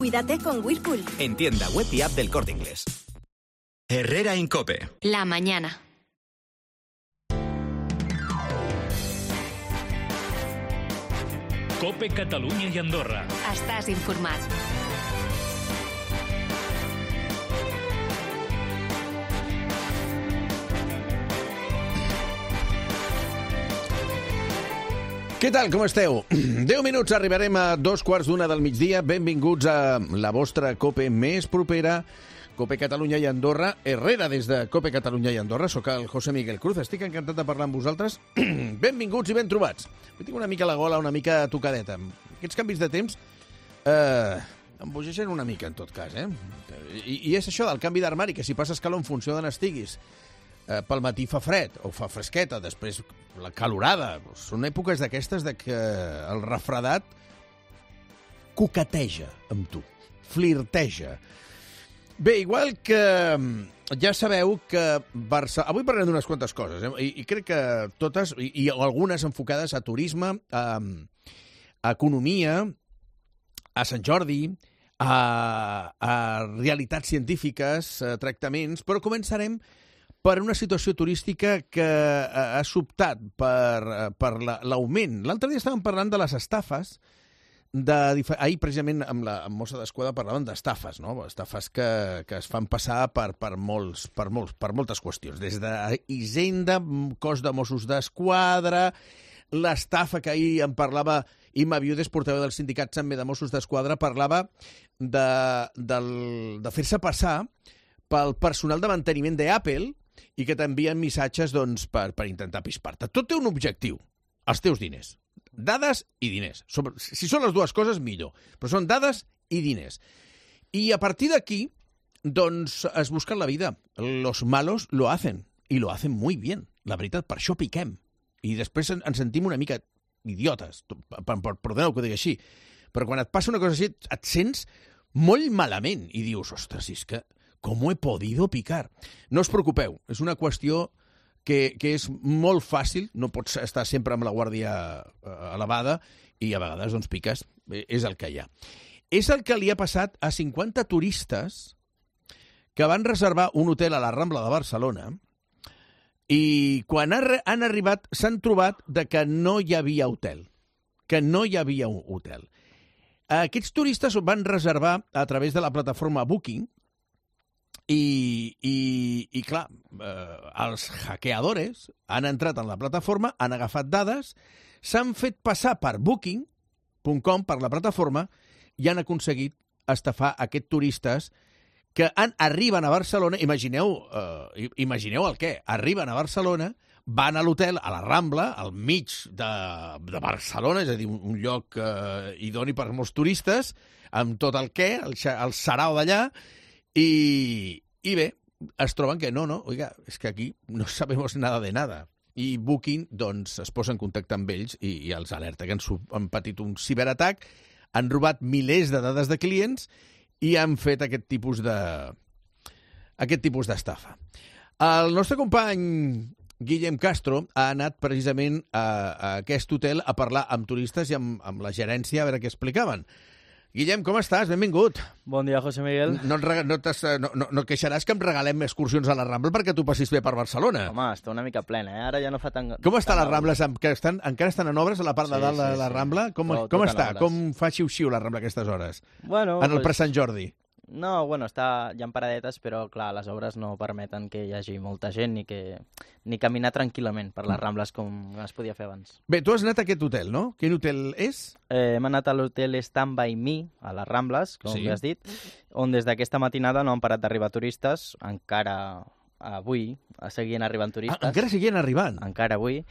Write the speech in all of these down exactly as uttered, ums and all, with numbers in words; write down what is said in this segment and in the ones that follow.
Cuídate con Whirlpool. En tienda web y app del Corte Inglés. Herrera Incope. La mañana. Cope Catalunya i Andorra. Estàs informat. Què tal, com esteu? Deu minuts, arribarem a dos quarts d'una del migdia. Benvinguts a la vostra Cope més propera, Cope Catalunya i Andorra. Herrera des de Cope Catalunya i Andorra. Soc el José Miguel Cruz. Estic encantat de parlar amb vosaltres. Benvinguts i ben trobats. Jo tinc una mica la gola, una mica tocadeta. Aquests canvis de temps eh, em bogeixen una mica, en tot cas. Eh? I, I és això del canvi d'armari, que si passes calor en funció d'on estiguis, eh, pel matí fa fred o fa fresqueta, després la calorada. Són èpoques d'aquestes de que el refredat coqueteja amb tu, flirteja. Bé, igual que ja sabeu que Barça... Avui parlem d'unes quantes coses, eh? I, i crec que totes, i, i algunes enfocades a turisme, a, a economia, a Sant Jordi, a, a realitats científiques, a tractaments, però començarem per una situació turística que ha sobtat per, per l'augment. L'altre dia estàvem parlant de les estafes. De, ahir, precisament, amb la amb Mossa d'Esquadra parlaven d'estafes, no? Estafes que, que es fan passar per, per, molts, per, molts, per moltes qüestions. Des d'Hisenda, cos de Mossos d'Esquadra, l'estafa que ahir en parlava Imma Viudes, portaveu del sindicat també de Mossos d'Esquadra, parlava de, de, de fer-se passar pel personal de manteniment d'Apple i que t'envien missatges doncs, per, per intentar pispar-te. Tot té un objectiu, els teus diners. Dades i diners. Si són les dues coses, millor. Però són dades i diners. I a partir d'aquí, doncs, es busquen la vida. Los malos lo hacen. I lo hacen muy bien. La veritat, per això piquem. I després ens sentim una mica idiotes. Perdoneu que ho digui així. Però quan et passa una cosa així, et sents molt malament. I dius, ostres, és que com he podido picar? No us preocupeu. És una qüestió Que, que és molt fàcil, no pots estar sempre amb la guàrdia elevada i a vegades doncs piques, és el que hi ha. És el que li ha passat a cinquanta turistes que van reservar un hotel a la Rambla de Barcelona i quan han arribat s'han trobat de que no hi havia hotel, que no hi havia un hotel. Aquests turistes van reservar a través de la plataforma Booking. I, i, i clar, eh, els hackeadores han entrat en la plataforma, han agafat dades, s'han fet passar per booking punt com, per la plataforma, i han aconseguit estafar aquests turistes que han, arriben a Barcelona, imagineu, eh, imagineu el què, arriben a Barcelona, van a l'hotel, a la Rambla, al mig de, de Barcelona, és a dir, un, un lloc eh, idoni per molts turistes, amb tot el què, el, el sarau d'allà. I, I bé, es troben que no, no, oiga, és que aquí no sabemos nada de nada. I Booking, doncs, es posa en contacte amb ells i, i els alerta que han, han patit un ciberatac, han robat milers de dades de clients i han fet aquest tipus de aquest tipus d'estafa. El nostre company Guillem Castro ha anat precisament a, a aquest hotel a parlar amb turistes i amb, amb la gerència a veure què explicaven. Guillem, com estàs? Benvingut. Bon dia, José Miguel. No, no, no, no, no, no queixaràs que em regalem excursions a la Rambla perquè tu passis bé per Barcelona. Home, està una mica plena, eh? Ara ja no fa tan... Com està les Rambles? Que estan, encara estan en obres a la part sí, de dalt de sí, la sí. Rambla? Com, tot, com tot està? Com fa xiu-xiu la Rambla a aquestes hores? Bueno, en el pues... pre-Sant Jordi? No, bueno, està, hi ha paradetes, però clar, les obres no permeten que hi hagi molta gent ni, que, ni caminar tranquil·lament per les Rambles com es podia fer abans. Bé, tu has anat a aquest hotel, no? Quin hotel és? Eh, hem anat a l'hotel Stand By Me, a les Rambles, com sí. ja has dit, on des d'aquesta matinada no han parat d'arribar turistes, encara avui seguien arribant turistes. Ah, encara seguien arribant? Encara avui.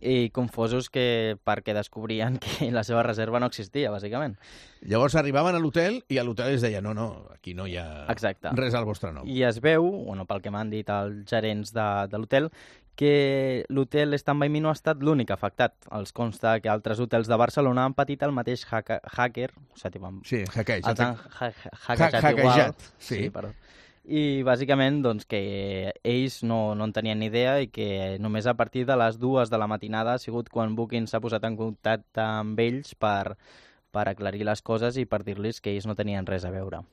I confosos que perquè descobrien que la seva reserva no existia, bàsicament. Llavors arribaven a l'hotel i a l'hotel es deia no, no, aquí no hi ha Exacte. res al vostre nom. I es veu, bueno, pel que m'han dit els gerents de, de l'hotel, que l'hotel Stand By Me no ha estat l'únic afectat. Els consta que altres hotels de Barcelona han patit el mateix hacker, hacker o sigui, tipus, sí, hackejat. Els han ha hackejat ha igual. Sí. Sí, perdó. I bàsicament doncs, que ells no, no en tenien ni idea i que només a partir de les dues de la matinada ha sigut quan Booking s'ha posat en contacte amb ells per, per aclarir les coses i per dir-los que ells no tenien res a veure.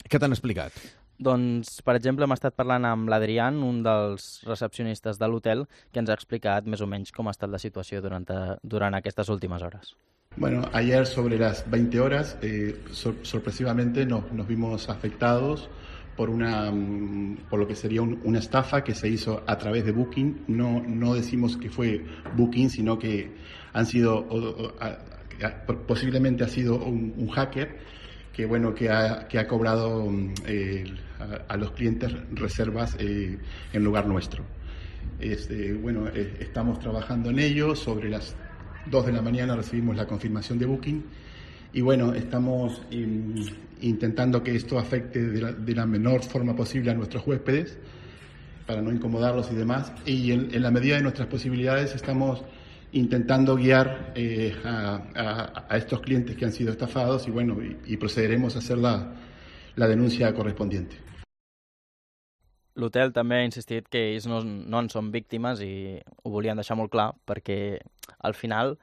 Què t'han explicat? Doncs, per exemple, hem estat parlant amb l'Adrián, un dels recepcionistes de l'hotel, que ens ha explicat més o menys com ha estat la situació durant, durant aquestes últimes hores. Bueno, ayer sobre las veinte horas, eh, sor sorpresivamente nos, nos vimos afectados por una por lo que sería un, una estafa que se hizo a través de Booking. No, no decimos que fue Booking, sino que han sido, o, o, a, a, posiblemente ha sido un, un hacker que bueno que ha, que ha cobrado eh, a, a los clientes reservas eh, en lugar nuestro. Este, bueno, eh, estamos trabajando en ello. Sobre las dos de la mañana recibimos la confirmación de Booking y bueno, estamos in, intentando que esto afecte de la, de la menor forma posible a nuestros huéspedes para no incomodarlos y demás, y en, en la medida de nuestras posibilidades estamos intentando guiar eh, a, a, a estos clientes que han sido estafados y bueno, y, y procederemos a hacer la, la denuncia correspondiente. L'hotel també ha insistit que ells no, no en són víctimes i ho volien deixar molt clar perquè al final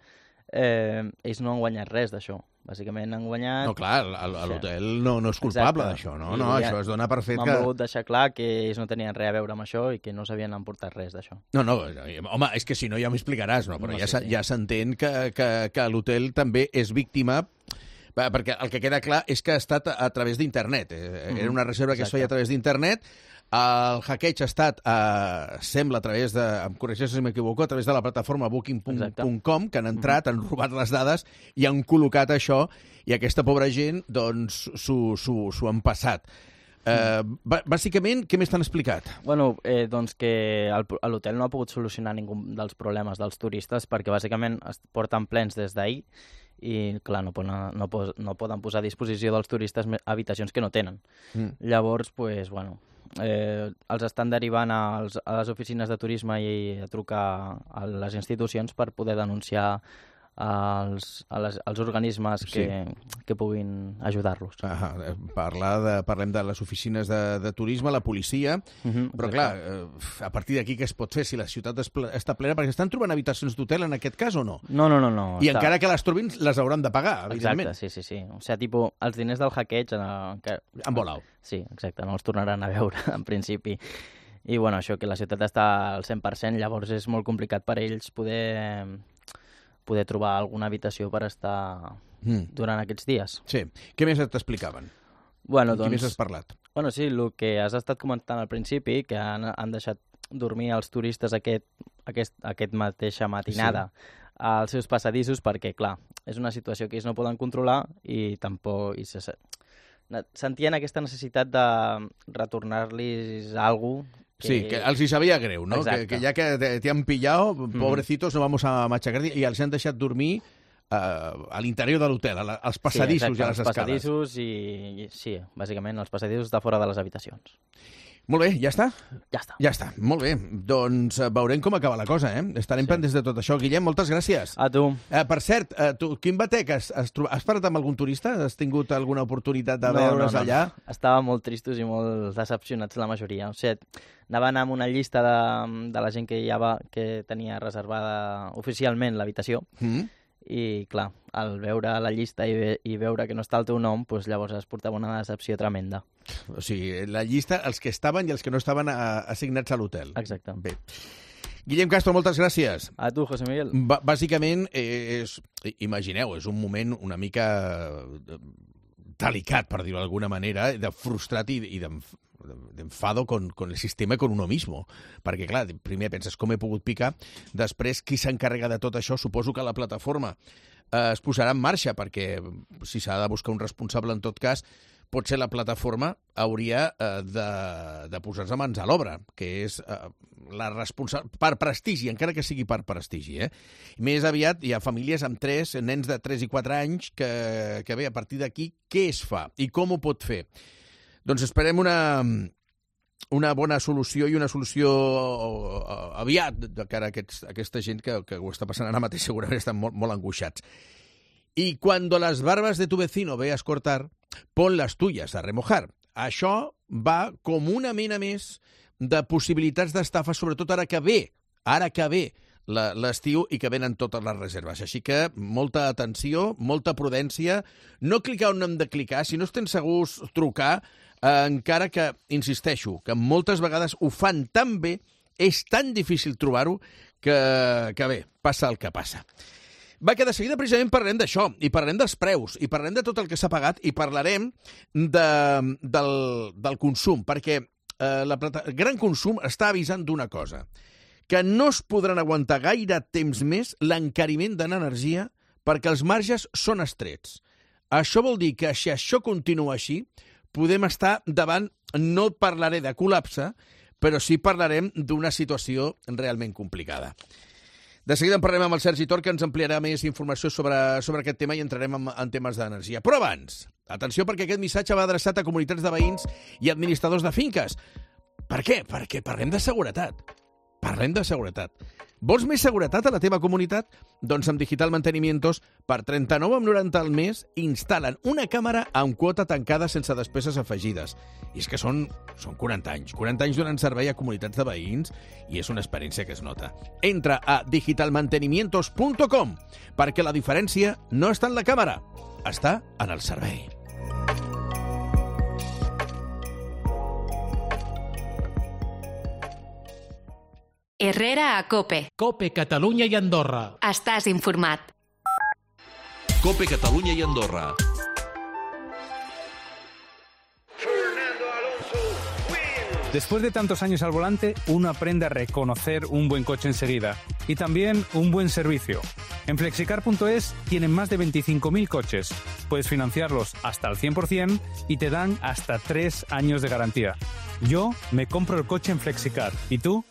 eh, ells no han guanyat res d'això. Bàsicament han guanyat... No, clar, l'hotel no, no és culpable d'això, no? No, això es dona per fet que... M'han volgut deixar clar que ells no tenien res a veure amb això i que no s'havien emportat res d'això. No, no, home, és que si no ja m'explicaràs, no? Però no, ja sí, ja s'entén que, que, que l'hotel també és víctima, perquè el que queda clar és que ha estat a través d'internet. Era una reserva que es feia a través d'internet. El hackeig ha estat, eh, sembla, a través de, em corregeix si m'equivoco, a través de la plataforma booking punt com, que han entrat, han robat les dades i han col·locat això, i aquesta pobra gent, doncs, s'ho han passat. Eh, bàsicament, què més t'han explicat? Bueno, eh, doncs que l'hotel no ha pogut solucionar ningú dels problemes dels turistes perquè bàsicament es porten plens des d'ahir i, clar, no poden, no, no poden posar a disposició dels turistes habitacions que no tenen. Mm. Llavors, pues, bueno, eh, els estan derivant als, a les oficines de turisme i a trucar a les institucions per poder denunciar als, a les, als organismes que, sí. que puguin ajudar-los. Ah, parlar de, parlem de les oficines de, de turisme, la policia, uh-huh, però clar, a partir d'aquí què es pot fer si la ciutat està plena? Perquè estan trobant habitacions d'hotel en aquest cas o no? No, no, no. no I està... encara que les trobin, les hauran de pagar, evidentment. Exacte, sí, sí, sí. O sigui, tipus, els diners del hackeig... Eh, que... Han volat. Sí, exacte, no els tornaran a veure, en principi. I, bueno, això, que la ciutat està al cent per cent, llavors és molt complicat per ells poder... poder trobar alguna habitació per estar mm. durant aquests dies. Sí. Què més t'explicaven? Bueno, doncs... Què més has parlat? Bueno, sí, el que has estat comentant al principi, que han, han deixat dormir els turistes aquest, aquest, aquest mateixa matinada sí. als seus passadissos, perquè, clar, és una situació que ells no poden controlar i tampoc... I se, sentien aquesta necessitat de retornar-los alguna cosa. Que... Sí, que els hi sabia greu, no? Que, que ja que te han pillado, pobrecitos, no vamos a machacar, i els han deixat dormir uh, a l'interior de l'hotel, als passadissos sí, exacte, i a les escales. Passadissos i, i, sí, bàsicament, els passadissos de fora de les habitacions. Molt bé, ja està? Ja està. Ja està, molt bé. Doncs veurem com acaba la cosa, eh? Estarem sí. pendents de tot això. Guillem, moltes gràcies. A tu. Eh, per cert, eh, tu, quin batec, has, has, trobat, has parlat amb algun turista? Has tingut alguna oportunitat de no, veure's no, no. allà? Estàvem molt tristos i molt decepcionats la majoria. O sigui, anaven amb una llista de, de la gent que, ja va, que tenia reservada oficialment l'habitació. Mm. I, clar, al veure la llista i, ve, i veure que no està el teu nom, doncs llavors es portava una decepció tremenda. O sigui, la llista, els que estaven i els que no estaven a, assignats a l'hotel. Exacte. Bé. Guillem Castro, moltes gràcies. A tu, José Miguel. B bàsicament, és, imagineu, és un moment una mica delicat, per dir-ho d'alguna manera, de frustrat i, i d'enfado con, con el sistema, con uno mismo. Perquè, clar, primer penses com he pogut picar, després qui s'encarrega de tot això, suposo que la plataforma eh, es posarà en marxa, perquè si s'ha de buscar un responsable en tot cas, potser la plataforma hauria eh, de, de posar-se mans a l'obra, que és eh, la responsable... per prestigi, encara que sigui per prestigi. Eh? Més aviat hi ha famílies amb tres, nens de tres i quatre anys, que, que bé, a partir d'aquí, què es fa i com ho pot fer? Doncs esperem una, una bona solució i una solució aviat de cara a, aquests, a aquesta gent que, que ho està passant ara mateix, segurament estan molt, molt angoixats. Y cuando las barbas de tu vecino veas cortar, pon las tuyas a remojar. Això va com una mena més de possibilitats d'estafa, sobretot ara que ve, ara que ve l'estiu i que venen totes les reserves. Així que molta atenció, molta prudència, no clicar on hem de clicar, si no estem segurs trucar, eh, encara que, insisteixo, que moltes vegades ho fan tan bé, és tan difícil trobar-ho, que, que bé, passa el que passa. Va, que de seguida precisament parlarem d'això, i parlarem dels preus, i parlarem de tot el que s'ha pagat, i parlarem de, del, del consum, perquè eh, la plata... el gran consum està avisant d'una cosa, que no es podran aguantar gaire temps més l'encariment de l'energia perquè els marges són estrets. Això vol dir que si això continua així, podem estar davant, no parlaré de col·lapse, però sí parlarem d'una situació realment complicada. De seguida en parlarem amb el Sergi Tor, que ens ampliarà més informació sobre, sobre aquest tema i entrarem en, en temes d'energia. Però abans, atenció, perquè aquest missatge va adreçat a comunitats de veïns i administradors de finques. Per què? Perquè parlem de seguretat. Parlem de seguretat. Vols més seguretat a la teva comunitat? Doncs amb Digital Mantenimientos, per trenta-nou coma noranta al mes, instal·len una càmera amb quota tancada sense despeses afegides. I és que són, són quaranta anys. quaranta anys donant servei a comunitats de veïns i és una experiència que es nota. Entra a digital mantenimientos punt com perquè la diferència no està en la càmera, està en el servei. Herrera a COPE. COPE Catalunya i Andorra. Estàs informat. COPE Catalunya i Andorra. Después de tantos años al volante, uno aprende a reconocer un buen coche enseguida y también un buen servicio. En flexicar punto es tienen más de veinticinco mil coches. Puedes financiarlos hasta el cien por ciento y te dan hasta tres años de garantía. Yo me compro el coche en Flexicar. ¿Y tú?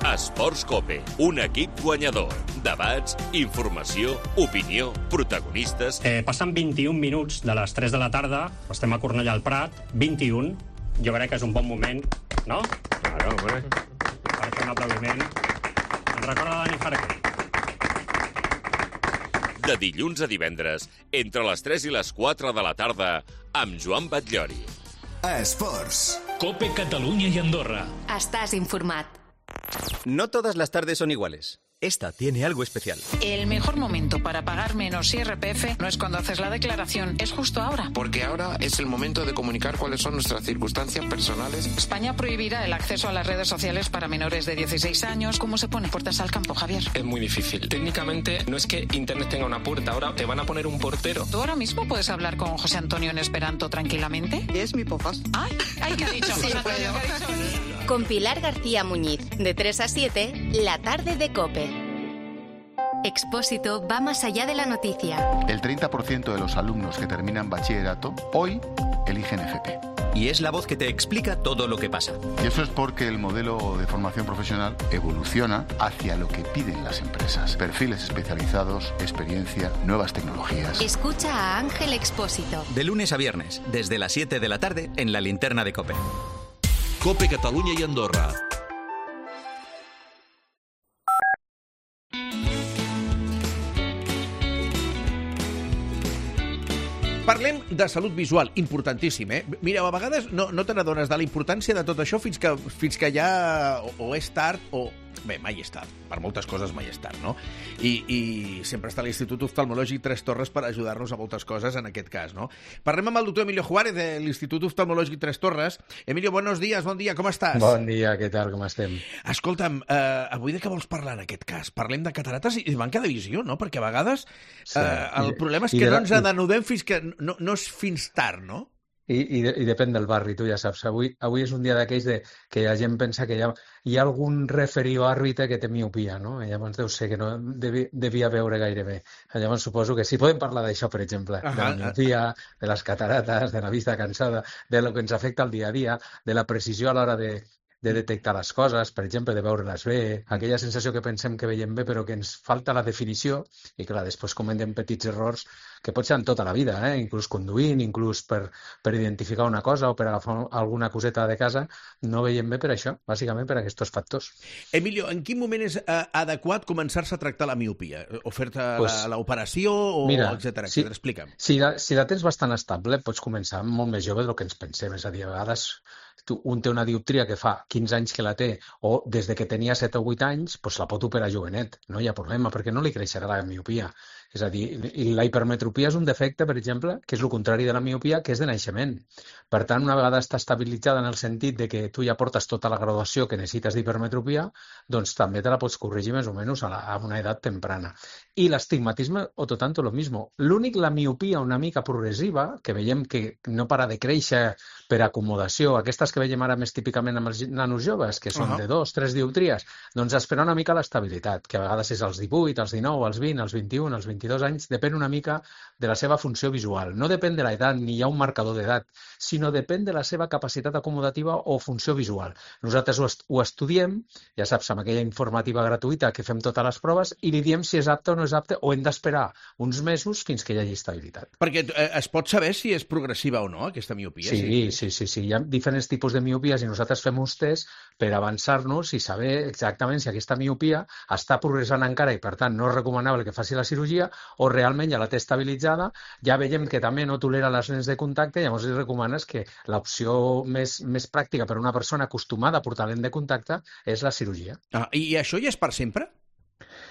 Esports COPE, un equip guanyador. Debats, informació, opinió, protagonistes... Eh, passen vint-i-un minuts de les tres de la tarda, estem a Cornellà al Prat, vint-i-un, jo crec que és un bon moment, no? Claro, hombre. Per fer un aplaudiment. Ens recorda Dani Jarque. De dilluns a divendres, entre les tres i les quatre de la tarda, amb Joan Batllori. Esports. COPE Catalunya i Andorra. Estàs informat. No todas las tardes son iguales. Esta tiene algo especial. El mejor momento para pagar menos I R P F no es cuando haces la declaración, es justo ahora. Porque ahora es el momento de comunicar cuáles son nuestras circunstancias personales. España prohibirá el acceso a las redes sociales para menores de dieciséis años. ¿Cómo se pone puertas al campo, Javier? Es muy difícil. Técnicamente no es que Internet tenga una puerta, ahora te van a poner un portero. ¿Tú ahora mismo puedes hablar con José Antonio en esperanto tranquilamente? Es mi pofas. Ay, ay, ¿qué ha dicho José Antonio? ¿Qué ha dicho? Con Pilar García Muñiz, de tres a siete, la tarde de COPE. Expósito va más allá de la noticia. El treinta por ciento de los alumnos que terminan bachillerato hoy eligen F P. Y es la voz que te explica todo lo que pasa. Y eso es porque el modelo de formación profesional evoluciona hacia lo que piden las empresas. Perfiles especializados, experiencia, nuevas tecnologías. Escucha a Ángel Expósito. De lunes a viernes, desde las siete de la tarde, en la linterna de COPE. COPE Catalunya i Andorra. Parlem de salut visual, importantíssim, eh? Mira, a vegades no, no te n'adones de la importància de tot això fins que, fins que ja o, o és tard o... Bé, mai és tard. Per moltes coses mai és tard, no? I, i sempre està l'Institut Oftalmològic Tres Torres per ajudar-nos a moltes coses en aquest cas, no? Parlem amb el doctor Emilio Juárez de l'Institut Oftalmològic Tres Torres. Emilio, buenos días, bon dia, com estàs? Bon dia, què tal, com estem? Escolta'm, eh, avui de què vols parlar en aquest cas? Parlem de catarates i manca de visió, no? Perquè a vegades eh, el problema és que no ens adenudem fins que no, no és fins tard, no? I, i, i depèn del barri, tu ja saps. Avui, avui és un dia d'aquells de, que la gent pensa que hi ha, hi ha algun referí o àrbitre que té miopia, no? I llavors deu ser que no devi, devia veure gaire bé. Llavors suposo que sí, podem parlar d'això, per exemple, uh-huh. de la miopia, de les catarates, de la vista cansada, de lo que ens afecta al dia a dia, de la precisió a l'hora de, de detectar les coses, per exemple, de veure-les bé, aquella sensació que pensem que veiem bé però que ens falta la definició i, clar, després cometem petits errors que pot ser en tota la vida, eh? Inclús conduint, inclús per, per identificar una cosa o per agafar alguna coseta de casa, no veiem bé per això, bàsicament per aquests factors. Emilio, en quin moment és eh, adequat començar-se a tractar la miopia? O fer-te pues, l'operació, mira, etcètera, si, etcètera. Explica'm. Si la, si la tens bastant estable, pots començar molt més jove del que ens pensem. És a dir, a vegades tu, un té una dioptria que fa quinze anys que la té o des de que tenia set o vuit anys, doncs la pot operar jovenet, no hi ha problema, perquè no li creixerà la miopia. És a dir, la hipermetropia és un defecte, per exemple, que és el contrari de la miopia, que és de naixement. Per tant, una vegada està estabilitzada en el sentit de que tu ja portes tota la graduació que necessites d'hipermetropia, doncs també te la pots corregir més o menys a, la, a una edat temprana. I l'estigmatisme, o tot tanto lo mismo. L'únic, la miopia una mica progressiva, que veiem que no para de créixer per acomodació, aquestes que veiem ara més típicament amb els nanos joves, que són uh-huh. de dos, tres dioptries, doncs esperar una mica l'estabilitat, que a vegades és als divuit, als dinou, als vint, als vint-i-un, als vint-i-dos anys, depèn una mica de la seva funció visual. No depèn de l'edat, ni hi ha un marcador d'edat, sinó depèn de la seva capacitat acomodativa o funció visual. Nosaltres ho, est ho estudiem, ja saps, amb aquella informativa gratuïta que fem totes les proves, i li diem si és apte o no és apte, o hem d'esperar uns mesos fins que hi hagi estabilitat. Perquè eh, es pot saber si és progressiva o no, aquesta miopia? Sí, sí, sí, sí, sí. Hi ha diferents tipus de miopies i nosaltres fem uns tests per avançar-nos i saber exactament si aquesta miopia està progressant encara i, per tant, no és recomanable que faci la cirurgia o realment ja la té estabilitzada, ja veiem que també no tolera les lents de contacte i llavors li recomanes que l'opció més, més pràctica per a una persona acostumada a portar lent de contacte és la cirurgia. Ah, i això ja és per sempre?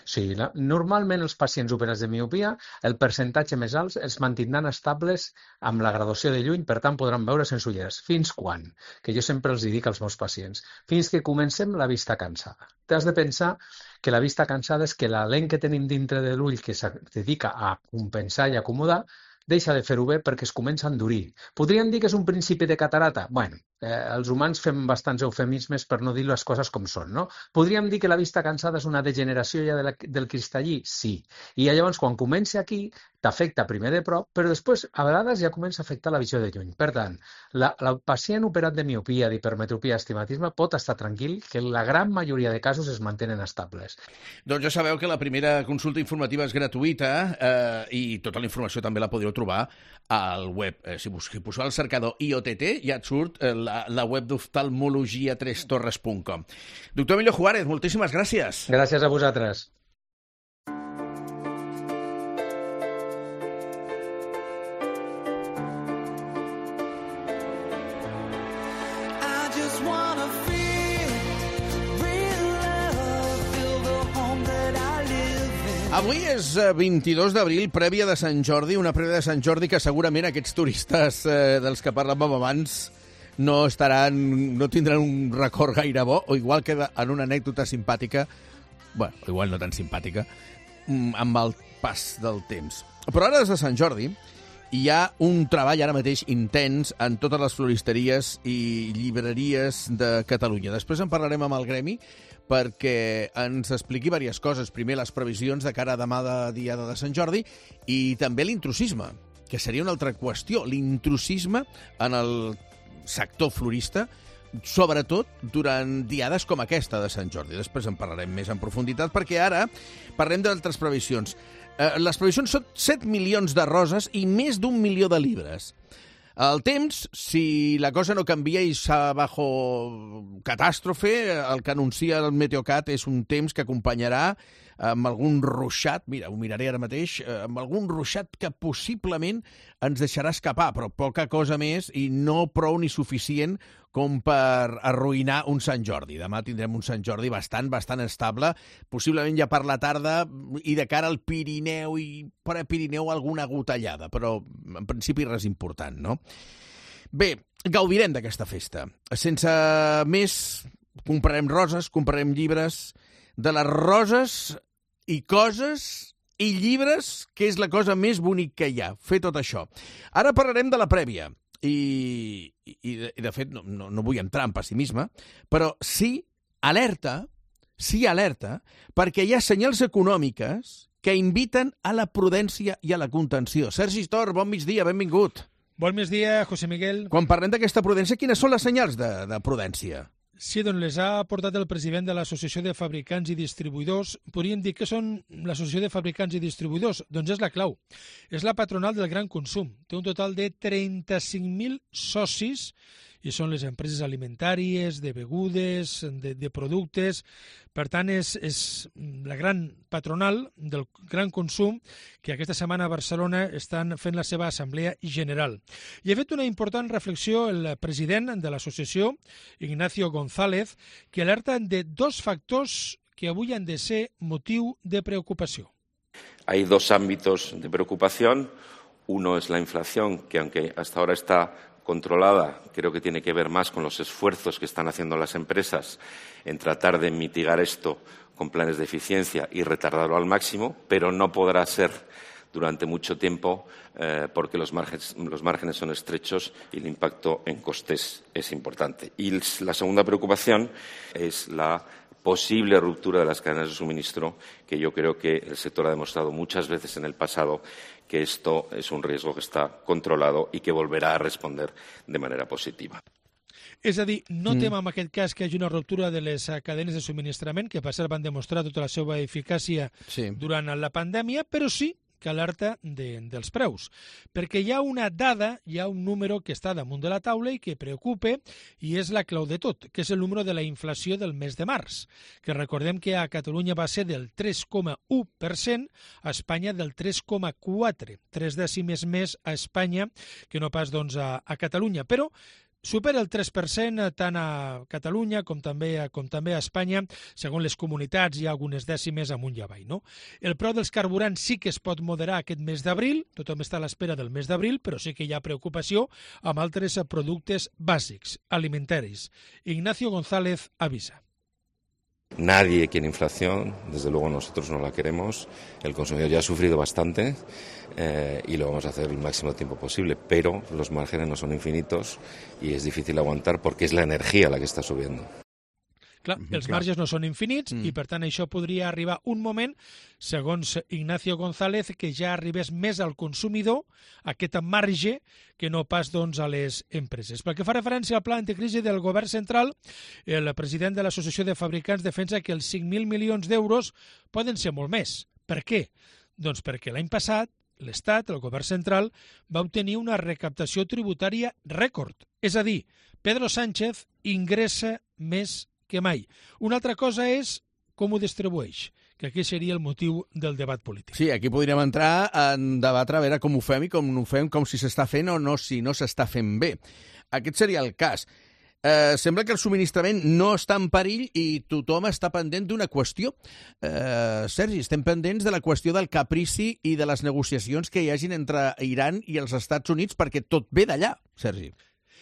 Sí, la, normalment els pacients operats de miopia, el percentatge més alt els mantindran estables amb la graduació de lluny, per tant podran veure sense ulleres. Fins quan? Que jo sempre els dic als meus pacients. Fins que comencem la vista cansada. T'has de pensar que la vista cansada és que la lent que tenim dintre de l'ull que es dedica a compensar i acomodar deixa de fer-ho bé perquè es comença a endurir. Podríem dir que és un principi de catarata? Bueno, eh, els humans fem bastants eufemismes per no dir les coses com són, no? Podríem dir que la vista cansada és una degeneració ja de la, del cristallí? Sí. I llavors, quan comença aquí, t'afecta primer de prop, però després, a vegades, ja comença a afectar la visió de lluny. Per tant, la, la pacient operat de miopia, d'hipermetropia, astigmatisme, pot estar tranquil que la gran majoria de casos es mantenen estables. Doncs ja sabeu que la primera consulta informativa és gratuïta eh, i tota la informació també la podeu trobar al web. Eh, si poseu al cercador I O T T ja et surt eh, la, la web d'oftalmologia tres torres punt com. Doctor Emilio Juárez, moltíssimes gràcies. Gràcies a vosaltres. Avui és vint-i-dos d'abril, prèvia de Sant Jordi, una prèvia de Sant Jordi que segurament aquests turistes eh, dels que parlàvem abans no estaran, no tindran un record gaire bo, o igual que en una anècdota simpàtica, bueno, igual no tan simpàtica, amb el pas del temps. Però ara, des de Sant Jordi, hi ha un treball ara mateix intens en totes les floristeries i llibreries de Catalunya. Després en parlarem amb el gremi, perquè ens expliqui diverses coses. Primer, les previsions de cara a demà de diada de Sant Jordi i també l'intrusisme, que seria una altra qüestió. L'intrusisme en el sector florista, sobretot durant diades com aquesta de Sant Jordi. Després en parlarem més en profunditat, perquè ara parlem d'altres previsions. Eh, les previsions són set milions de roses i més d'un milió de llibres. El temps, si la cosa no canvia i s'ha bajo catàstrofe, el que anuncia el Meteocat és un temps que acompanyarà amb algun ruixat, mira, ho miraré ara mateix, amb algun ruixat que possiblement ens deixarà escapar, però poca cosa més i no prou ni suficient com per arruïnar un Sant Jordi. Demà tindrem un Sant Jordi bastant, bastant estable, possiblement ja per la tarda i de cara al Pirineu i per a Pirineu alguna gotellada, però en principi res important, no? Bé, gaudirem d'aquesta festa. Sense més, comprarem roses, comprarem llibres, de les roses i coses i llibres, que és la cosa més bonic que hi ha, fer tot això. Ara parlarem de la prèvia. I, i, de, i de fet, no, no, no vull entrar en pessimisme, però sí alerta, sí alerta, perquè hi ha senyals econòmiques que inviten a la prudència i a la contenció. Sergi Tor, bon migdia, benvingut. Bon migdia, José Miguel. Quan parlem d'aquesta prudència, quines són les senyals de, de prudència? Sí, doncs les ha aportat el president de l'Associació de Fabricants i Distribuïdors. Podríem dir que són l'Associació de Fabricants i Distribuïdors. Doncs és la clau. És la patronal del gran consum. Té un total de trenta-cinc mil socis i són les empreses alimentàries, de begudes, de, de productes. Per tant, és, és la gran patronal del gran consum que aquesta setmana a Barcelona estan fent la seva assemblea general. I ha fet una important reflexió el president de l'associació, Ignacio González, que alerta de dos factors que avui han de ser motiu de preocupació. Hay dos ámbitos de preocupación. Uno es la inflación, que aunque hasta ahora está controlada, creo que tiene que ver más con los esfuerzos que están haciendo las empresas en tratar de mitigar esto con planes de eficiencia y retardarlo al máximo, pero no podrá ser durante mucho tiempo eh, porque los márgenes, los márgenes son estrechos y el impacto en costes es importante. Y la segunda preocupación es la posible ruptura de las cadenas de suministro, que yo creo que el sector ha demostrado muchas veces en el pasado que esto es un riesgo que está controlado y que volverá a responder de manera positiva. És a dir, no Mm. tem en aquest cas que hi hagi una ruptura de les cadenes de subministrament, que per cert van demostrar tota la seva eficàcia sí. durant la pandèmia, però sí que alerta de, dels preus. Perquè hi ha una dada, hi ha un número que està damunt de la taula i que preocupa, i és la clau de tot, que és el número de la inflació del mes de març, que recordem que a Catalunya va ser del tres coma u per cent, a Espanya del tres coma quatre, tres dècimes més a Espanya que no pas doncs, a, a Catalunya. Però supera el tres per cent tant a Catalunya com també, com també a Espanya. Segons les comunitats hi ha algunes dècimes amunt i avall. No? El preu dels carburants sí que es pot moderar aquest mes d'abril, tothom està a l'espera del mes d'abril, però sí que hi ha preocupació amb altres productes bàsics, alimentaris. Ignacio González avisa. Nadie quiere inflación, desde luego nosotros no la queremos. El consumidor ya ha sufrido bastante eh, y lo vamos a hacer el máximo tiempo posible, pero los márgenes no son infinitos y es difícil aguantar porque es la energía la que está subiendo. Clar, els marges no són infinits mm. i, per tant, això podria arribar un moment, segons Ignacio González, que ja arribés més al consumidor, aquest marge, que no pas doncs, a les empreses. Pel que fa referència al pla anticrisi del govern central, el president de l'Associació de Fabricants defensa que els cinc mil milions d'euros poden ser molt més. Per què? Doncs perquè l'any passat l'Estat, el govern central, va obtenir una recaptació tributària rècord. És a dir, Pedro Sánchez ingressa més que mai. Una altra cosa és com ho distribueix, que aquí seria el motiu del debat polític. Sí, aquí podríem entrar en debatre a veure com ho fem i com no ho fem, com si s'està fent o no, si no s'està fent bé. Aquest seria el cas. Eh, sembla que el subministrament no està en perill i tothom està pendent d'una qüestió. Eh, Sergi, estem pendents de la qüestió del caprici i de les negociacions que hi hagin entre Iran i els Estats Units, perquè tot ve d'allà, Sergi.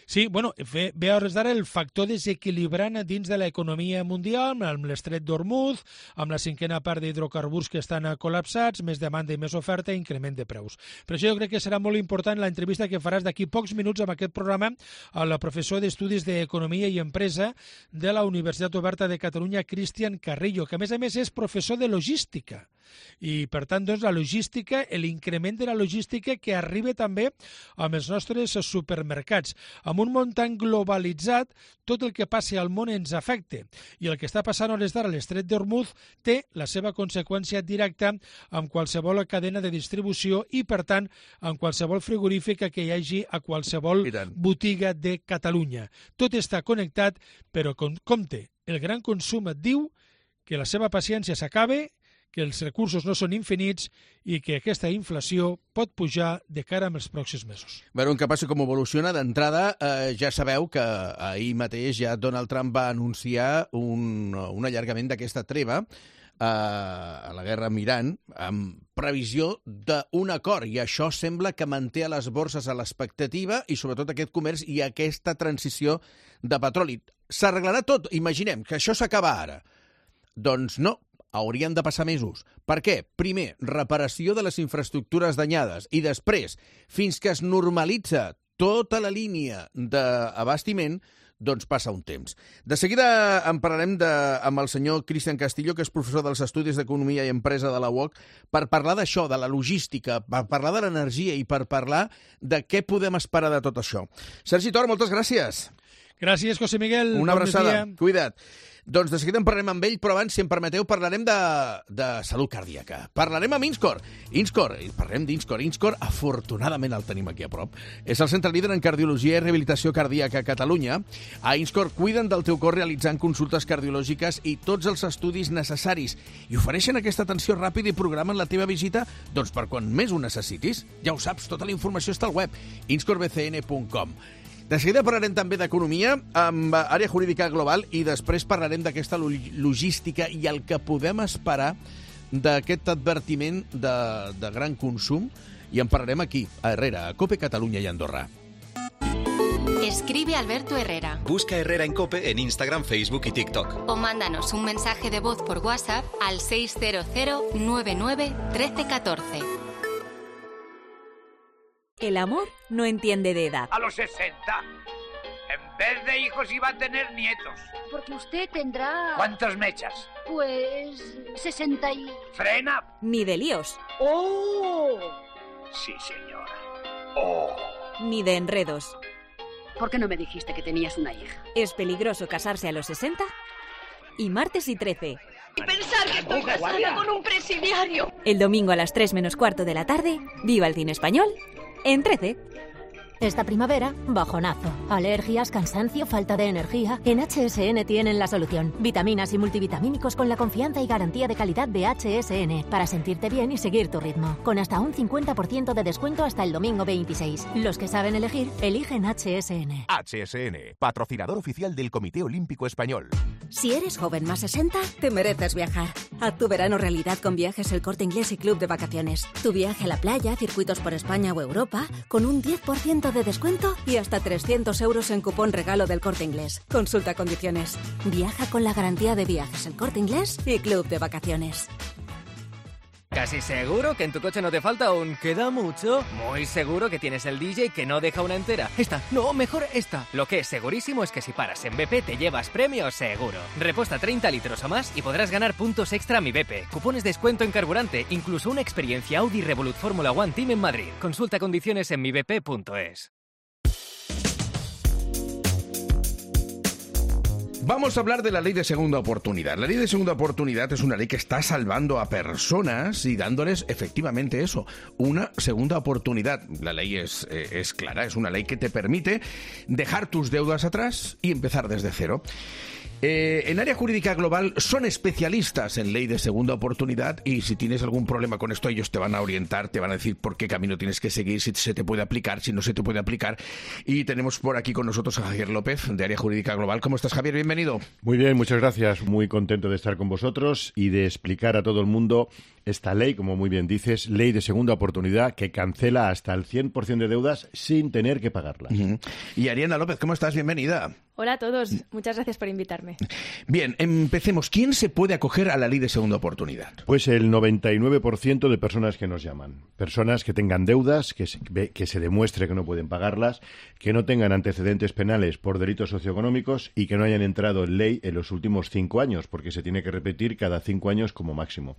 Sí, bueno, ve, ve a hores d'ara el factor desequilibrant dins de l'economia mundial, amb l'estret d'Hormuz, amb la cinquena part d'hidrocarburs que estan col·lapsats, més demanda i més oferta i increment de preus. Per això jo crec que serà molt important l'entrevista que faràs d'aquí pocs minuts amb aquest programa al professor d'Estudis d'Economia i Empresa de la Universitat Oberta de Catalunya, Cristian Carrillo, que a més a més és professor de logística. I, per tant, doncs, la logística, l'increment de la logística que arriba també amb els nostres supermercats. Amb un món tan globalitzat, tot el que passi al món ens afecta. I el que està passant a hores d'ara a l'estret d'Hormuz té la seva conseqüència directa amb qualsevol cadena de distribució i, per tant, amb qualsevol frigorífica que hi hagi a qualsevol botiga de Catalunya. Tot està connectat, però compte, el gran consum et diu que la seva paciència s'acaba, que els recursos no són infinits i que aquesta inflació pot pujar de cara als pròxims mesos. Veurem què passa, com evoluciona. D'entrada, eh, ja sabeu que ahir mateix ja Donald Trump va anunciar un, un allargament d'aquesta treva eh, a la guerra amb Iran, amb previsió d'un acord, i això sembla que manté a les borses a l'expectativa i sobretot aquest comerç i aquesta transició de petroli. S'arreglarà tot, imaginem, que això s'acaba ara. Doncs no, haurien de passar mesos. Per què? Primer, reparació de les infraestructures danyades i després, fins que es normalitza tota la línia d'abastiment, doncs passa un temps. De seguida en parlarem de, amb el senyor Cristian Castillo, que és professor dels Estudis d'Economia i Empresa de la U O C, per parlar d'això, de la logística, per parlar de l'energia i per parlar de què podem esperar de tot això. Sergi Tor, moltes gràcies. Gràcies, José Miguel. Una bon abraçada. dia. Cuida't. Doncs de seguida en parlarem amb ell, però abans, si em permeteu, parlarem de, de salut cardíaca. Parlarem amb Inscor. Inscor, parlem d'Inscor. Inscor, afortunadament el tenim aquí a prop. És el centre líder en cardiologia i rehabilitació cardíaca a Catalunya. A Inscor cuiden del teu cor realitzant consultes cardiològiques i tots els estudis necessaris. I ofereixen aquesta atenció ràpida i programen la teva visita doncs per quan més ho necessitis. Ja ho saps, tota la informació està al web inscor b c n punt com. De seguida parlarem també d'economia amb àrea jurídica global i després parlarem d'aquesta logística i el que podem esperar d'aquest advertiment de, de gran consum i en parlarem aquí, a Herrera, a COPE Catalunya i Andorra. Escribe Alberto Herrera. Busca Herrera en COPE en Instagram, Facebook y TikTok. O mándanos un mensaje de voz por WhatsApp al seis cero cero nueve nueve uno tres uno cuatro. El amor no entiende de edad. A los sesenta. En vez de hijos iba a tener nietos. Porque usted tendrá... ¿Cuántos me echas? Pues... sesenta y... ¡Frena! Ni de líos. ¡Oh! Sí, señora. ¡Oh! Ni de enredos. ¿Por qué no me dijiste que tenías una hija? Es peligroso casarse a los sesenta. Y martes y trece. Y pensar que estoy casada con un presidiario. El domingo a las tres menos cuarto de la tarde, viva el cine español en trece. Esta primavera, bajonazo. Alergias, cansancio, falta de energía. En H S N tienen la solución. Vitaminas y multivitamínicos con la confianza y garantía de calidad de H S N. Para sentirte bien y seguir tu ritmo. Con hasta un cincuenta por ciento de descuento hasta el domingo veintiséis. Los que saben elegir, eligen H S N. H S N, patrocinador oficial del Comité Olímpico Español. Si eres joven más sesenta, te mereces viajar. Haz tu verano realidad con Viajes El Corte Inglés y Club de Vacaciones. Tu viaje a la playa, circuitos por España o Europa, con un diez por ciento de descuento y hasta trescientos euros en cupón regalo del Corte Inglés. Consulta condiciones. Viaja con la garantía de Viajes El Corte Inglés y Club de Vacaciones. ¿Casi seguro que en tu coche no te falta un queda mucho? Muy seguro que tienes el D J que no deja una entera. Esta, no, mejor esta. Lo que es segurísimo es que si paras en B P te llevas premio seguro. Repuesta treinta litros o más y podrás ganar puntos extra a Mi B P, cupones de descuento en carburante, incluso una experiencia Audi Revolut Fórmula One Team en Madrid. Consulta condiciones en mi b p punto es. Vamos a hablar de la ley de segunda oportunidad. La ley de segunda oportunidad es una ley que está salvando a personas y dándoles efectivamente eso, una segunda oportunidad. La ley es, eh, es clara, es una ley que te permite dejar tus deudas atrás y empezar desde cero. Eh, en área jurídica global son especialistas en ley de segunda oportunidad y si tienes algún problema con esto ellos te van a orientar, te van a decir por qué camino tienes que seguir, si se te puede aplicar, si no se te puede aplicar. Y tenemos por aquí con nosotros a Javier López de área jurídica global. ¿Cómo estás, Javier? Bienvenido. Muy bien, muchas gracias. Muy contento de estar con vosotros y de explicar a todo el mundo esta ley, como muy bien dices, ley de segunda oportunidad que cancela hasta el cien por ciento de deudas sin tener que pagarlas. Uh-huh. Y Ariana López, ¿cómo estás? Bienvenida. Hola a todos, muchas gracias por invitarme. Bien, empecemos. ¿Quién se puede acoger a la ley de segunda oportunidad? Pues el noventa y nueve por ciento de personas que nos llaman. Personas que tengan deudas, que se, que se demuestre que no pueden pagarlas, que no tengan antecedentes penales por delitos socioeconómicos y que no hayan entrado en ley en los últimos cinco años, porque se tiene que repetir cada cinco años como máximo.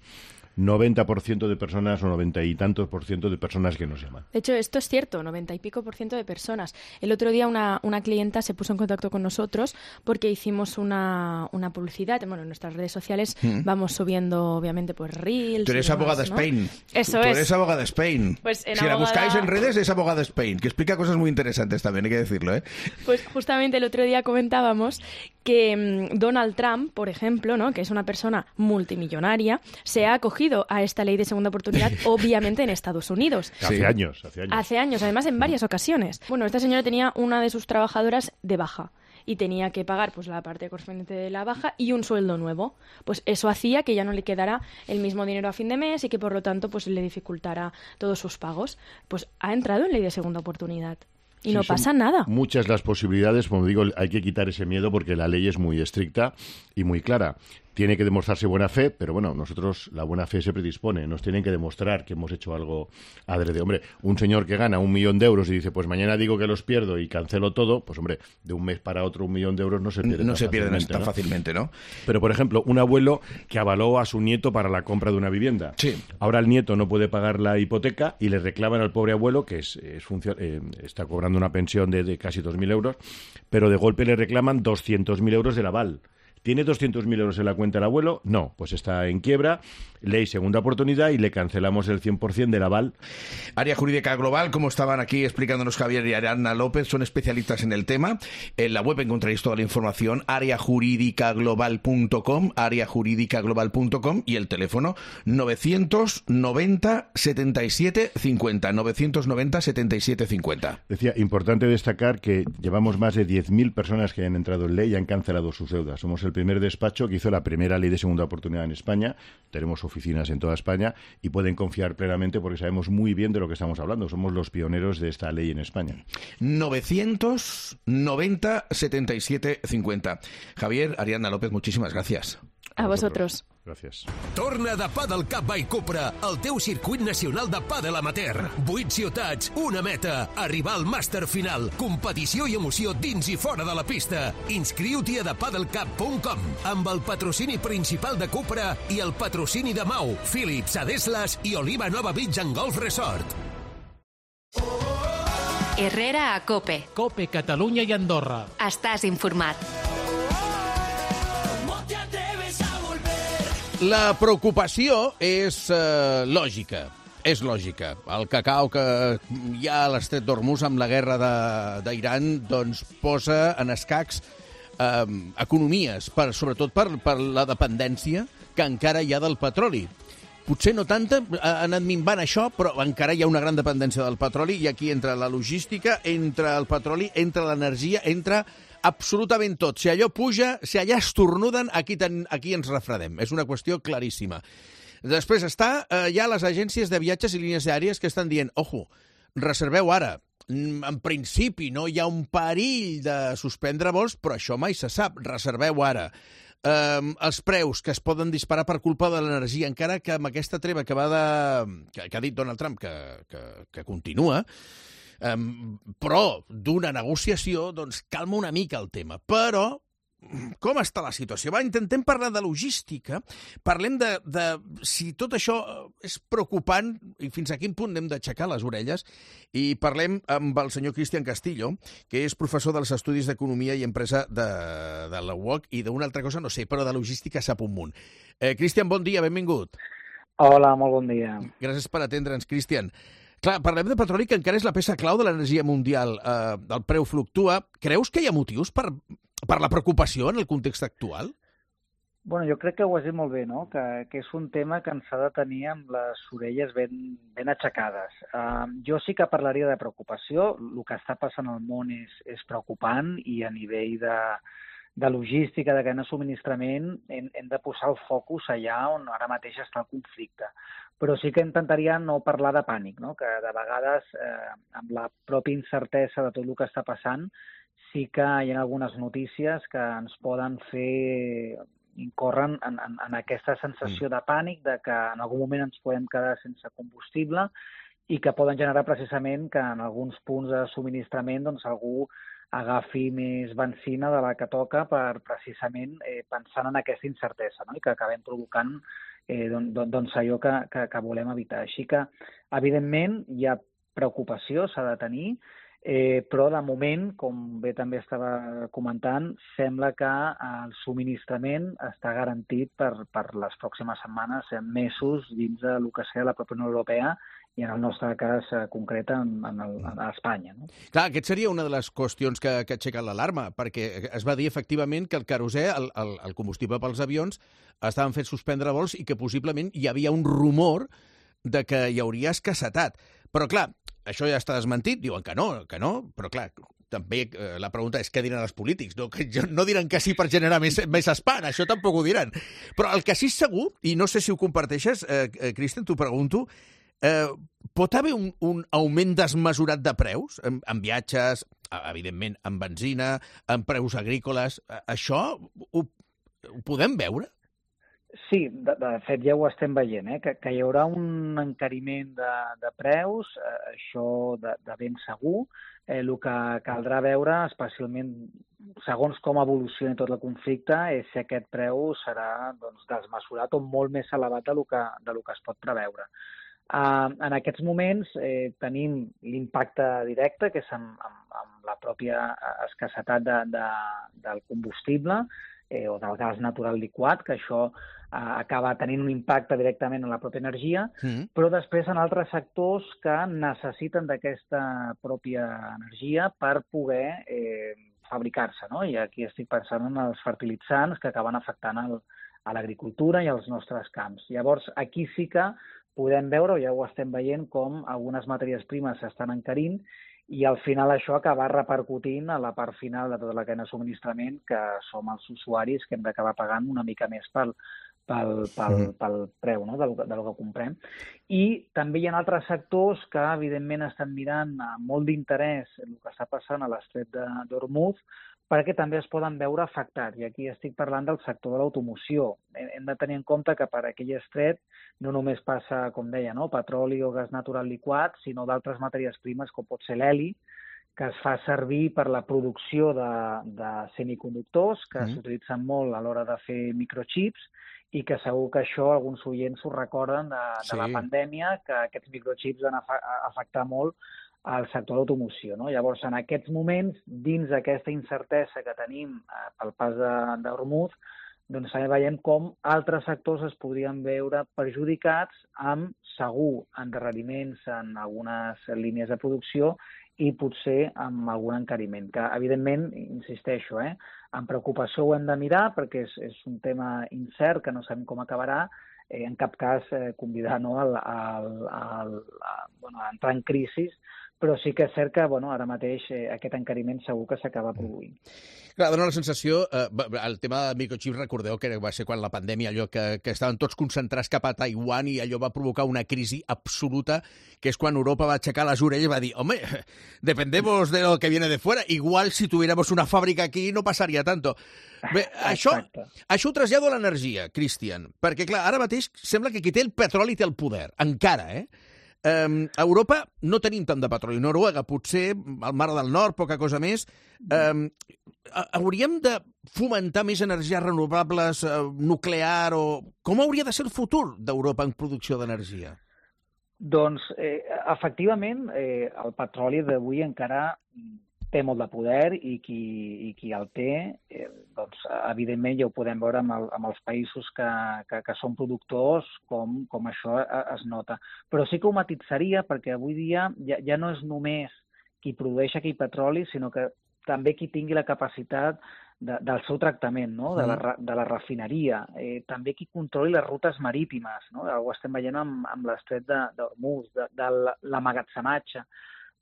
noventa por ciento de personas o noventa y tantos por ciento de personas que nos llaman. De hecho, esto es cierto, noventa y pico por ciento de personas. El otro día una, una clienta se puso en contacto con nosotros porque hicimos una, una publicidad. Bueno, en nuestras redes sociales mm. vamos subiendo, obviamente, pues reels. Tú eres demás, abogada ¿no? Spain. Eso Tú es. eres abogada Spain. Pues en si abogada... la buscáis en redes es abogada Spain, que explica cosas muy interesantes también, hay que decirlo, ¿eh? Pues justamente el otro día comentábamos que mmm, Donald Trump, por ejemplo, ¿no?, que es una persona multimillonaria, se ha acogido a esta ley de segunda oportunidad, obviamente en Estados Unidos. Hace sí. años, hace años. Hace años, además en varias ocasiones. Bueno, esta señora tenía una de sus trabajadoras de baja y tenía que pagar pues la parte correspondiente de la baja y un sueldo nuevo. Pues eso hacía que ya no le quedara el mismo dinero a fin de mes y que por lo tanto pues le dificultara todos sus pagos. Pues ha entrado en ley de segunda oportunidad. Y sí, no pasa nada. Muchas las posibilidades, como digo, hay que quitar ese miedo porque la ley es muy estricta y muy clara. tiene que demostrarse buena fe, pero bueno, nosotros la buena fe se predispone, nos tienen que demostrar que hemos hecho algo adrede. Hombre, un señor que gana un millón de euros y dice, pues mañana digo que los pierdo y cancelo todo, pues hombre, de un mes para otro un millón de euros no se pierde No tan se pierden fácilmente, tan ¿no? fácilmente, ¿no? Pero, por ejemplo, un abuelo que avaló a su nieto para la compra de una vivienda. Sí. Ahora el nieto no puede pagar la hipoteca y le reclaman al pobre abuelo, que es, es funcio- eh, está cobrando una pensión de, de casi dos mil euros, pero de golpe le reclaman doscientos mil euros del aval. ¿Tiene doscientos mil euros en la cuenta el abuelo? No, pues está en quiebra, ley segunda oportunidad y le cancelamos el cien por ciento del aval. Área Jurídica Global, como estaban aquí explicándonos Javier y Ariadna López, son especialistas en el tema. En la web encontraréis toda la información, área jurídica global punto com, área jurídica global punto com, y el teléfono novecientos noventa setenta y siete cincuenta, novecientos noventa setenta y siete cincuenta. Decía, importante destacar que llevamos más de diez mil personas que han entrado en ley y han cancelado sus deudas. Somos el primer despacho que hizo la primera ley de segunda oportunidad en España. Tenemos oficinas en toda España y pueden confiar plenamente porque sabemos muy bien de lo que estamos hablando. Somos los pioneros de esta ley en España. novecientos noventa setenta y siete cincuenta. Javier, Ariadna López, muchísimas gracias. A vosotros. Gràcies. Torna de Padel Cup by Cupra, el teu circuit nacional de pàdel amateur. Vuit ciutats, una meta, arribar al màster final, competició i emoció dins i fora de la pista. Inscriu-t'hi a the padel cup punt com, amb el patrocini principal de Cupra i el patrocini de Mau, Philips, Adeslas i Oliva Nova Beach and Golf Resort. Herrera a Cope. Cope, Catalunya i Andorra. Estàs informat. La preocupació és eh, lògica. És lògica. El cacau que hi ha a l'estret d'Hormuz amb la guerra d'Iran doncs posa en escacs eh, economies, per, sobretot per, per la dependència que encara hi ha del petroli. Potser no tanta, ha anat minvant això, però encara hi ha una gran dependència del petroli i aquí entra la logística, entra el petroli, entra l'energia, entra absolutament tot. Si allò puja, si allà estornuden, aquí, ten, aquí ens refredem. És una qüestió claríssima. Després està, eh, hi ha les agències de viatges i línies aèries que estan dient, ojo, reserveu ara. En principi no hi ha un perill de suspendre vols, però això mai se sap. Reserveu ara. Um, els preus que es poden disparar per culpa de l'energia, encara que amb aquesta treva que, va de, que, que ha dit Donald Trump que, que, que continua, um, però d'una negociació, doncs calma una mica el tema. Però com està la situació? Va, intentem parlar de logística, parlem de, de si tot això és preocupant i fins a quin punt hem d'aixecar les orelles, i parlem amb el senyor Cristian Castillo, que és professor dels Estudis d'Economia i Empresa de, de la U O C, i d'una altra cosa no sé, però de logística sap un munt. Eh, Cristian, bon dia, benvingut. Hola, molt bon dia. Gràcies per atendre'ns, Cristian. Clar, parlem de petroli, que encara és la peça clau de l'energia mundial. Eh, el preu fluctua. Creus que hi ha motius per, per la preocupació en el context actual? Bueno, jo crec que ho has dit molt bé, no? Que, que és un tema que ens ha de tenir amb les orelles ben, ben aixecades. Uh, jo sí que parlaria de preocupació. El que està passant al món és, és preocupant i a nivell de, de logística, de cadena de subministrament, hem, hem de posar el focus allà on ara mateix està el conflicte. Però sí que intentaria no parlar de pànic, no? Que de vegades, eh, amb la pròpia incertesa de tot el que està passant, sí que hi ha algunes notícies que ens poden fer incorren en, en, en aquesta sensació de pànic, de que en algun moment ens podem quedar sense combustible i que poden generar precisament que en alguns punts de subministrament doncs, algú agafi més benzina de la que toca per precisament eh, pensant en aquesta incertesa, no? I que acabem provocant eh, don, don, doncs allò que, que, que volem evitar. Així que, evidentment, hi ha preocupació, s'ha de tenir, eh, però de moment, com bé també estava comentant, sembla que el subministrament està garantit per, per les pròximes setmanes, mesos, dins del que sigui la pròpia Unió Europea, i en el nostre cas concret en, en, el, en Espanya. No? Clar, aquest seria una de les qüestions que, que aixequen l'alarma, perquè es va dir efectivament que el querosè, el, el, el combustible pels avions, estaven fent suspendre vols i que possiblement hi havia un rumor de que hi hauria escassetat. Però clar, això ja està desmentit, diuen que no, que no, però clar, també eh, la pregunta és què diran els polítics, no, que no diran que sí per generar més, més espant, això tampoc ho diran. Però el que sí és segur, i no sé si ho comparteixes, eh, eh, Cristian, t'ho pregunto, Eh, pot haver un, un augment desmesurat de preus en, en viatges, evidentment en benzina, en preus agrícoles? Això ho, ho podem veure? Sí, de, de fet ja ho estem veient, eh? que, que hi haurà un encariment de, de preus, eh, això de, de ben segur. Eh, el que caldrà veure, especialment segons com evolucioni tot el conflicte, és si aquest preu serà doncs, desmesurat o molt més elevat de lo que, de lo que es pot preveure. Uh, en aquests moments eh, tenim l'impacte directe, que és amb, amb, amb la pròpia escassetat de, de, del combustible, eh, o del gas natural liquat, que això eh, acaba tenint un impacte directament en la pròpia energia, mm. però després en altres sectors que necessiten d'aquesta pròpia energia per poder eh, fabricar-se, no? I aquí estic pensant en els fertilitzants que acaben afectant el, a l'agricultura i als nostres camps. Llavors, aquí sí que podem veure, o ja ho estem veient, com algunes matèries primes s'estan encarint i al final això acaba repercutint a la part final de tota la cadena de subministrament, que som els usuaris que hem d'acabar pagant una mica més pel, pel, pel, pel preu, no? de, lo, de lo que comprem. I també hi ha altres sectors que, evidentment, estan mirant amb molt d'interès el que està passant a l'estret d'Hormuz, perquè també es poden veure afectats. I aquí estic parlant del sector de l'automoció. Hem de tenir en compte que per aquell estret no només passa, com deia, no? petroli o gas natural liquat, sinó d'altres matèries primes, com pot ser l'heli, que es fa servir per la producció de, de semiconductors, que mm. s'utilitzen molt a l'hora de fer microchips, i que segur que això alguns oients ho recorden de, de sí. la pandèmia, que aquests microchips van afectar molt al sector de l'automoció. No? Llavors, en aquests moments, dins d'aquesta incertesa que tenim eh, pel pas d'Hormuz, doncs també veiem com altres sectors es podrien veure perjudicats amb, segur, endarreriments en algunes línies de producció i potser amb algun encariment, que, evidentment, insisteixo, eh, amb preocupació ho hem de mirar perquè és, és un tema incert, que no sabem com acabarà, eh, en cap cas eh, convidar no, al, al, al, a, bueno, a entrar en crisi, però sí que és cert que bueno, ara mateix eh, aquest encariment segur que s'acaba produint. Clar, dona la sensació, eh, el tema de microchips, recordeu que va ser quan la pandèmia, allò que, que estaven tots concentrats cap a Taiwan i allò va provocar una crisi absoluta, que és quan Europa va aixecar les orelles i va dir, home, dependemos de lo que viene de fuera, igual si tuviéramos una fàbrica aquí no passaria tanto. Bé, això, això ho trasllado a l'energia, Cristian, perquè clar, ara mateix sembla que qui té el petroli té el poder, encara, eh? Um, a Europa no tenim tant de petroli. Noruega, potser, al Mar del Nord, poca cosa més. Um, hauríem de fomentar més energies renovables, uh, nuclear, o com hauria de ser el futur d'Europa en producció d'energia? Doncs, eh, efectivament, eh, el petroli d'avui encara té molt de poder i qui, i qui el té, eh, doncs, evidentment ja ho podem veure amb, el, amb els països que, que, que són productors, com, com això es nota. Però sí que ho matitzaria perquè avui dia ja, ja no és només qui produeix aquell petroli, sinó que també qui tingui la capacitat de, del seu tractament, no? de, la, de la refineria, eh, també qui controli les rutes marítimes, no? Ho estem veient amb, amb l'estret d'Hormuz, de, de l'emmagatzematge.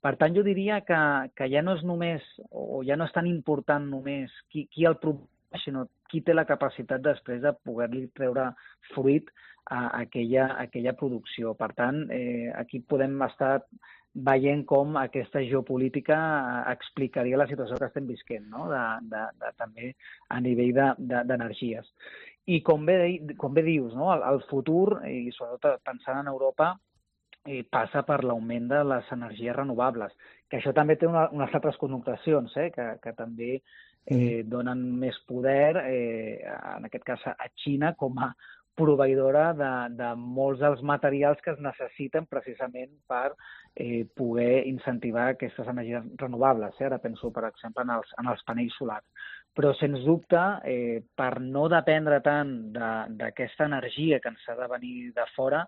Per tant, jo diria que, que ja no és només, o ja no és tan important només qui, qui el produeix, sinó qui té la capacitat després de poder-li treure fruit a aquella, a aquella producció. Per tant, eh, aquí podem estar veient com aquesta geopolítica explicaria la situació que estem visquent, no? de, de, de, també a nivell d'energies. De, I com bé, com bé dius, no? el, el futur, i sobretot pensant en Europa, i passa per l'augment de les energies renovables, que això també té una, unes altres connotacions, eh, que, que també eh, donen més poder, eh, en aquest cas a Xina, com a proveïdora de, de molts dels materials que es necessiten precisament per eh, poder incentivar aquestes energies renovables. Eh? Ara penso, per exemple, en els, en els panells solars. Però, sens dubte, eh, per no dependre tant d'aquesta energia que ens ha de venir de fora,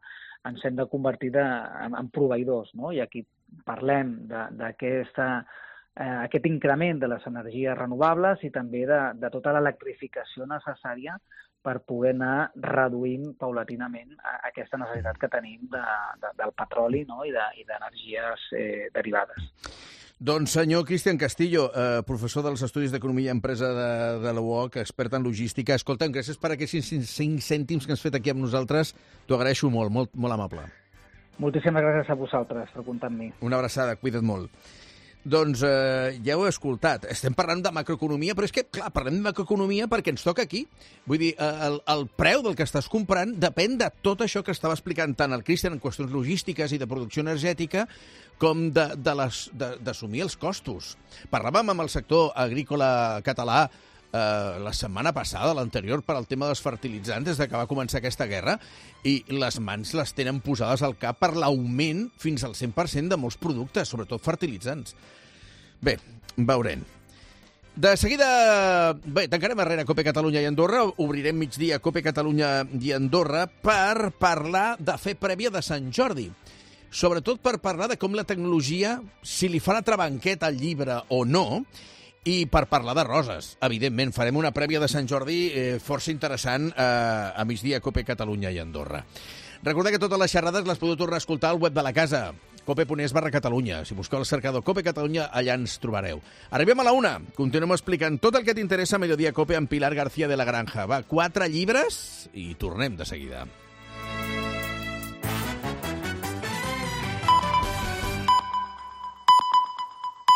ens hem de convertir de, en, en proveïdors, no? I aquí parlem d'aquest eh, increment de les energies renovables i també de, de tota l'electrificació necessària per poder anar reduint paulatinament aquesta necessitat que tenim de, de, del petroli, no? I d'energies de, eh, derivades. Doncs senyor Cristian Castillo, eh, professor dels Estudis d'Economia i Empresa de, de la U O C, expert en logística. Escolta'm, gràcies per aquests cinc cèntims que has fet aquí amb nosaltres. T'ho agraeixo molt, molt, molt amable. Moltíssimes gràcies a vosaltres per comptar amb mi. Una abraçada, cuida't molt. Doncs eh, ja ho he escoltat. Estem parlant de macroeconomia, però és que, clar, parlem de macroeconomia perquè ens toca aquí. Vull dir, el, el preu del que estàs comprant depèn de tot això que estava explicant tant el Cristian en qüestions logístiques i de producció energètica com d'assumir els costos. Parlàvem amb el sector agrícola català eh, la setmana passada, l'anterior, per al tema dels fertilitzants, des que va començar aquesta guerra, i les mans les tenen posades al cap per l'augment fins al cent per cent de molts productes, sobretot fertilitzants. Bé, veurem. De seguida, bé, tancarem arrere Cope Catalunya i Andorra, obrirem migdia Cope Catalunya i Andorra per parlar de fer prèvia de Sant Jordi. Sobretot per parlar de com la tecnologia, si li fa l'altra banqueta al llibre o no, i per parlar de roses. Evidentment, farem una prèvia de Sant Jordi eh, força interessant eh, a migdia Cope Catalunya i Andorra. Recordeu que totes les xerrades les podeu tornar a escoltar al web de la casa, cope.es barra Catalunya. Si busqueu el cercador Cope Catalunya, allà ens trobareu. Arribem a la una. Continuem explicant tot el que t'interessa a Mediodía Cope amb Pilar García de la Granja. Va, quatre llibres i tornem de seguida.